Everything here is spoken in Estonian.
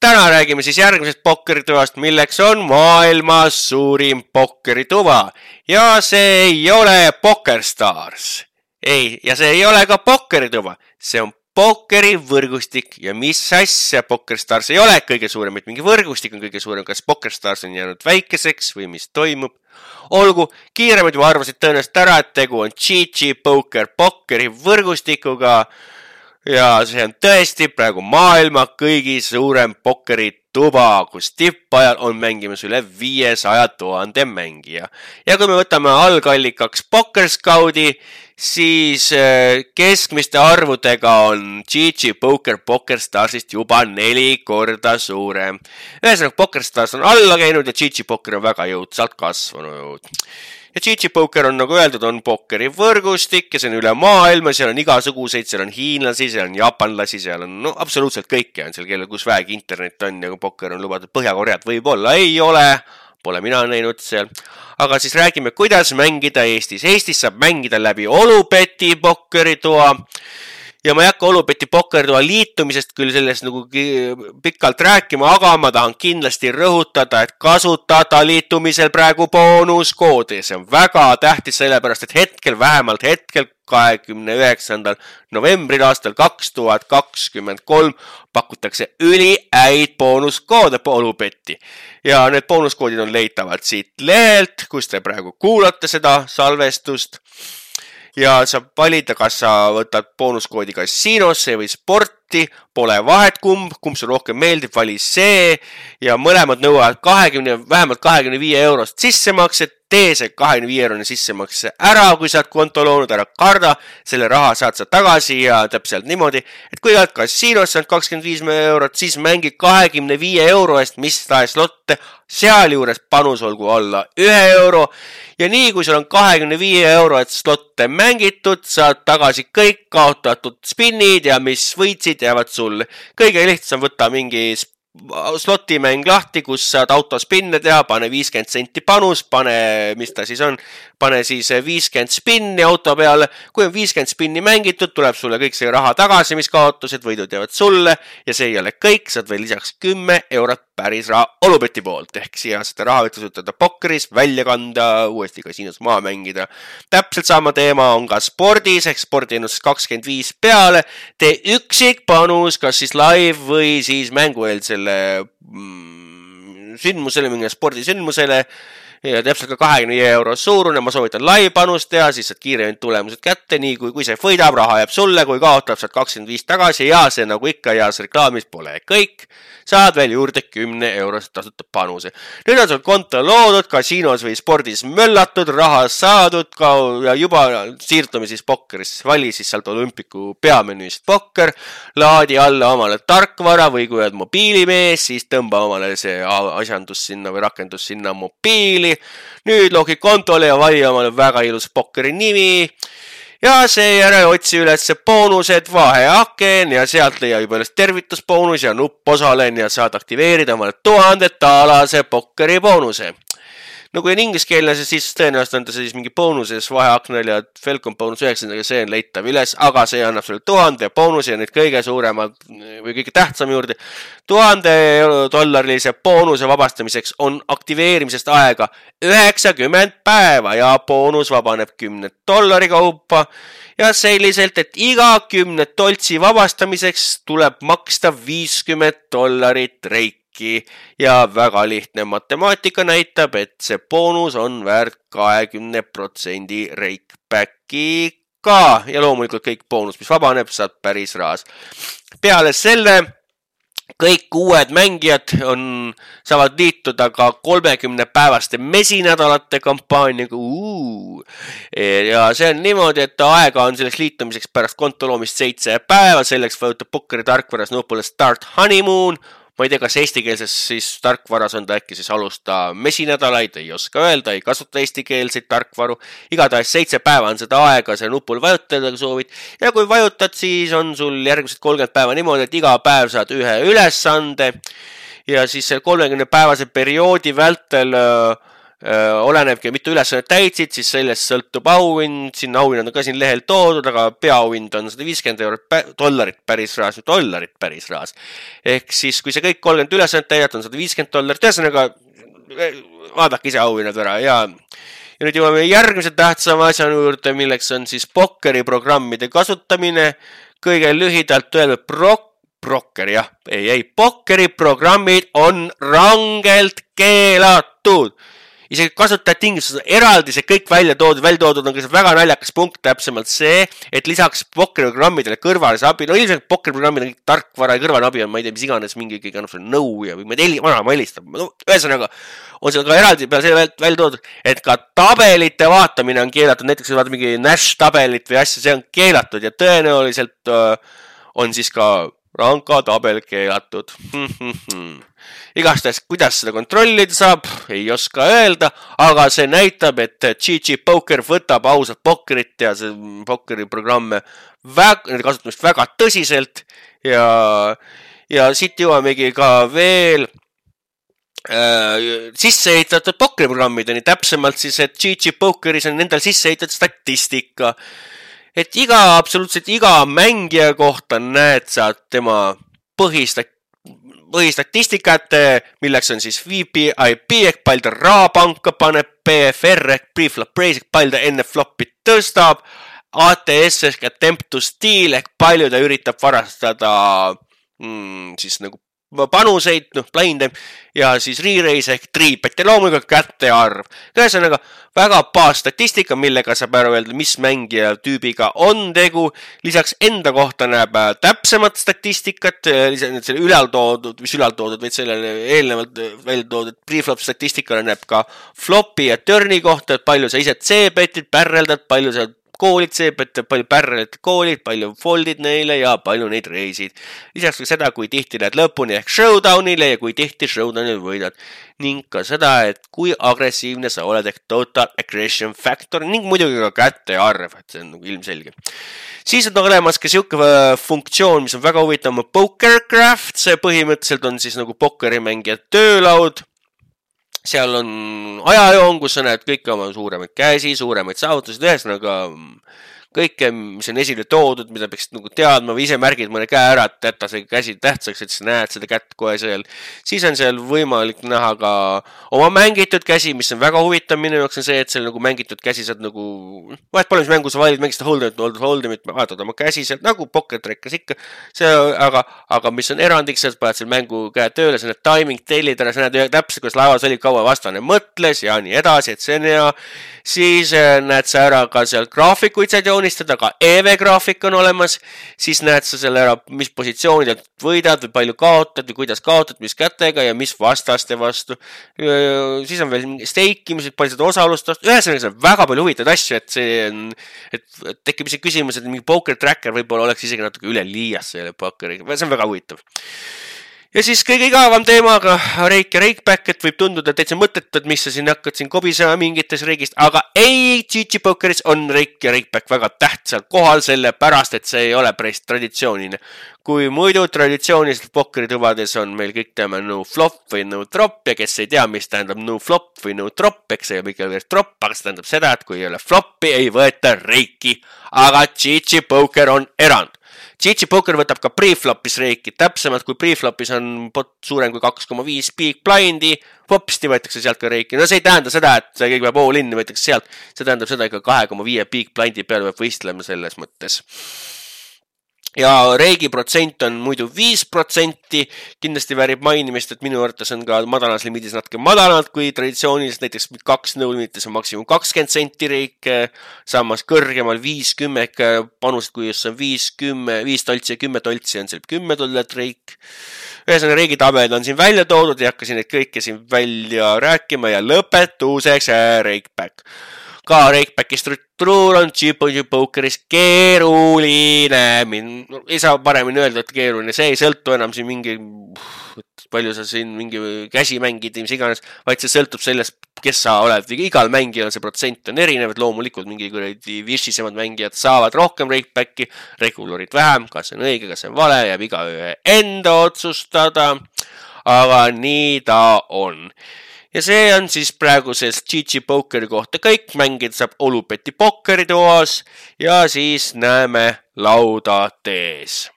täna räägime siis järgmisest pokkerituvast, milleks on maailmas suurim pokkerituva. Ja see ei ole PokerStars. Ei, ja see ei ole ka pokkerituva. See on pokkerivõrgustik ja mis asja PokerStars ei ole kõige suurem, et mingi võrgustik on kõige suurem, kas PokerStars on jäänud väikeseks või mis toimub. Olgu, kiiremad juba arvasid tõenäoliselt ära, et tegu on GG Poker pokkerivõrgustikuga ja see on tõesti praegu maailma kõigi suurem pokkerituba, kus tippajal on mängimas üle 500 000 mängija. Ja kui me võtame algallikaks PokerScoudi, siis keskmiste arvudega on GG Poker PokerStarsist juba 4 korda suurem. Ühesõnaga, PokerStars on alla käinud ja GG Poker on väga jõudsalt kasvanud. Ja GG Poker on, nagu öeldud, on pokkeri võrgustik ja see on üle maailma, seal on igasuguseid, seal on hiinlasi, seal on jaapanlasi, seal on absoluutselt kõike on seal, kellel kus väegi internet on ja kui pokker on lubatud Põhja-Koreat võib-olla ei ole. Pole mina näinud seal. Aga siis räägime, kuidas mängida Eestis. Eestis saab mängida läbi Olubeti pokkeritoa. Ja ma ei hakka Olubeti pokkeritoa liitumisest küll sellest nagu pikalt rääkima, aga ma tahan kindlasti rõhutada, et kasutada liitumisel praegu boonuskoodi. See on väga tähtis sellepärast, et vähemalt hetkel 29. novembril aastal 2023 pakutakse üliäid boonuskoode Olubetti. Ja need boonuskoodid on leitavad siit lehelt, kus te praegu kuulate seda salvestust. Ja saab valida, kas sa võtad boonuskoodi kasiinosse või sporti, pole vahet kumb see rohkem meeldib, vali see ja mõlemad nõuavad vähemalt 25 eurost sissemakset, tee see 25-eurone sissemakse ära, kui sa oled konto loonud, ära karda, selle raha saad sa tagasi ja täpselt niimoodi, et kui oled kasiinosse on 25 eurot, siis mängi 25 euro eest mis tahes lotte, seal juures panus olgu alla 1 euro ja nii kui sul on 25 euro et slotte mängitud, saad tagasi kõik kaotatud spinnid ja mis võitsid jäävad sulle. Kõige lihtsam võtta mingi slotimäng lahti, kus saad autospinne teha, pane 50 senti panus, pane siis 50 spinni auto peale. Kui on 50 spinni mängitud, tuleb sulle kõik see raha tagasi, mis kaotused, võidud jäävad sulle ja see ei ole kõik, saad veel lisaks 10 eurot päris raha Olubeti poolt. Ehk siia seda raha võtta suutada pokkeris, välja kanda, uuesti kasiinos maha mängida. Täpselt sama teema on ka spordis, ehk spordiennustus 25 peale. Tee üksik panus, kas siis live või siis mängueelsele sündmusele, mingi spordisündmusele ja täpselt ka 25 euro suurune, ma soovitan live-panust teha, siis saad kiiremini tulemused kätte, nii kui see võidab, raha jääb sulle, kui kaotab, saad 25 tagasi ja see nagu ikka heas reklaamis pole kõik, saad veel juurde 10 eurost tasuta panuse. Nüüd on sul konto loodud, kasiinos või spordis möllatud, raha saadud ja juba siirdume siis pokkerisse, vali siis sealt Olümpiku peamenüüst pokker, laadi alla omale tarkvara või kui oled mobiilimees, siis tõmba omale see asjandus sinna või rakendus sinna mobiili. Nüüd logi kontole ja vali omale väga ilus pokkeri nimi ja seejärel otsi üles boonused, vaheaken ja sealt leia juba üles tervitusboonus ja nupp osalen ja saad aktiveerida omale 1000 taalase pokkeri boonuse. No kui on ingliskeelne, siis tõenäoliselt on ta siis mingi boonuses vaheaknel ja Felcom boonus 9, see on leitav üles, aga see annab sulle 1000 boonus ja nüüd kõige suuremad või kõige tähtsam juurde. $1000 boonuse vabastamiseks on aktiveerimisest aega 90 päeva ja boonus vabaneb $10 kaupa ja selliselt, et iga 10 toltsi vabastamiseks tuleb maksta $50 reiki. Ja väga lihtne matemaatika näitab, et see boonus on väärt 20% reikbacki ka ja loomulikult kõik boonus, mis vabaneb, saad päris rahas. Peale selle kõik uued mängijad saavad liituda ka 30-päevaste mesinädalate kampaaniaga. Ja see on niimoodi, et aega on selleks liitumiseks pärast konto loomist 7 päeva, selleks vajutab pokkeri tarkvaras nupule Start Honeymoon. Ma ei tea, kas eestikeelses siis tarkvaras on ta äkki siis alusta mesinädalaid, ei oska öelda, ei kasuta eestikeelseid tarkvaru. Igatahes 7 päeva on seda aega see nupul vajutada, kui soovid. Ja kui vajutad, siis on sul järgmised 30 päeva niimoodi, et iga päev saad ühe ülesande. Ja siis 30-päevase perioodi vältel olenebki, mitu ülesannet täitsid, siis sellest sõltub auhind, siin auhinnad on ka siin lehel toodud, aga peaauhind on $150 dollarit päris rahas. Ehk siis, kui see kõik 30 ülesannet täidab, on $150, ühesõnaga vaadake ise auhinnad ära ja nüüd jõuame järgmise tähtsama asja juurde, milleks on siis Pokkeri programmide kasutamine. Kõige lühidalt öeldud Pokkeri programmid on rangelt keelatud. Isegi kasutajad tingimused eraldi see kõik välja toodud on väga naljakas punkt täpsemalt see, et lisaks Pokkeri programmidele kõrvalise abi, no ilmselt Pokkeri programmid on kõik tarkvara ja kõrvaline abi on, ma ei tea, mis iganes mingi annab sulle nõu ja või ma helistab. No, ühesõnaga on seal ka eraldi peale selle välja toodud, et ka tabelite vaatamine on keelatud, näiteks vaata mingi Nash tabelit või asja, see on keelatud ja tõenäoliselt on siis ka ranka tabel keelatud. Igastahes, kuidas seda kontrollida saab, ei oska öelda, aga see näitab, et GG Poker võtab ausalt pokkerit ja see Pokkeri programme nende kasutamist väga tõsiselt ja siit jõuamegi ka veel sisseehitatud Pokkeri programmideni, täpsemalt siis, et GG Pokeris on nendel sisseehitatud statistika. Et absoluutselt iga mängija kohta näed sa tema põhistatistikat, milleks on siis VPIP ehk palju ta rahapanka paneb, PFR ehk preflop raise ehk palju ta enne flopit tõstab, ATS ehk attempt to steal ehk palju ta üritab varastada siis nagu panuseid, blinde ja siis re-raise ehk triipet ja loomulikult kätte arv. Ühesõnaga väga baasstatistika, millega saab ära öelda, mis mängija tüübiga on tegu. Lisaks enda kohta näeb täpsemat statistikat, selle ülaltoodud, vaid sellele eelnevalt välja toodud preflop statistikale näeb ka flopi ja turni kohta, et palju sa ise C-betid, pärreldad, palju sa koolid C-betid, palju pärreldad koolid, palju foldid neile ja palju neid reisid. Lisaks ka seda, kui tihti lähed lõpuni ehk showdownile ja kui tihti showdownil võidad. Ning ka seda, et kui agressiivne sa oled ehk total aggression factor ning muidugi ka kätte arv, et see on nagu ilmselge. Siis on olemas ka siuke funktsioon, mis on väga huvitav, Pokercraft, see põhimõtteliselt on siis nagu pokkerimängija töölaud. Seal on ajajoon, kus sa näed kõike oma suuremaid käsi, suuremaid saavutusid, ühesõnaga kõike, mis on esile toodud, mida peaks nagu teadma või ise märgid mõne käe ära, et jätta see käsi tähtsaks, et sa näed seda kätt kohe seal. Siis on seal võimalik näha ka oma mängitud käsi, mis on väga huvitav minu jaoks on see, et seal nagu mängitud käsi saad nagu vahet pole, mis mängu sa valid, mängist hold'imit, vaatad oma käsi sealt nagu pokertrekkas ikka. See, aga mis on erandiks, sa paned seal mängu käe tööle, sa näed timing tellid ära, sa näed täpselt, kuidas laevas oli kaua vastane mõtles ja nii edasi, et see on hea. Siis näed sa ära ka seal graafikuid saad joonistada, ka EV-graafik on olemas, siis näed sa selle ära, mis positsioonidelt võidad või palju kaotad või kuidas kaotad, mis kätega ja mis vastaste vastu. Siis on veel steikimised, palju seda osalust, ühesõnaga see on väga palju huvitavaid asju, et see on, et tekib isegi küsimus, et mingi poker tracker võib-olla oleks isegi natuke üle liias selle pokkeriga, see on väga huvitav. Ja siis kõige igavam teemaga reik ja reikback, et võib tunduda täitsa mõttetud, mis sa siin hakkad siin kobisema mingites reigist, aga ei, GG Pokeris on reik ja reikback väga tähtsal kohal, sellepärast, et see ei ole päris traditsiooniline. Kui muidu traditsiooniliselt pokkerituvades on meil kõik teame no flop või no drop ja kes ei tea, mis tähendab no flop või no drop, eks see ei ole ikka veel drop, aga see tähendab seda, et kui ei ole flopi, ei võeta reiki, aga GG Poker on erand. GG Poker võtab ka preflopis reiki, täpsemalt kui preflopis on pot suurem kui 2,5 big blindi, popsti võetakse sealt ka reiki. No see ei tähenda seda, et see kõik peab all in, võetakse sealt, see tähendab seda ikka 2,5 big blindi peale peab võistlema selles mõttes. Ja reigi protsent on muidu 5%, kindlasti väärib mainimist, et minu arvates on ka madalas limiidis natuke madalad kui traditsiooniliselt, näiteks 2 nõulimites on maksimum 20 senti reik, samas kõrgemal 50 panused, kui just on 5 toltsi ja 10 toltsi on seal $10 reik. Ühesõnaga reigitabelid on siin välja toodud ja hakkasin neid kõike siin välja rääkima ja lõpetuseks reikback. Ka reikbacki struktuur on GG Pokeris keeruline. Ei saa paremini öelda, et keeruline. See ei sõltu enam siin mingi, palju sa siin mingi käsi mängid, mis iganes, vaid see sõltub sellest, kes sa oled. Igal mängijal see protsent on erinev, et loomulikult mingi vishisemad mängijad saavad rohkem reikbacki, regulorid vähem, kas see on õige, kas see on vale, jääb igaühe enda otsustada, aga nii ta on. ja see on siis praeguses GG Pokeri kohta kõik. Mängida saab Olupeti pokkeritoas ja siis näeme lauda tees.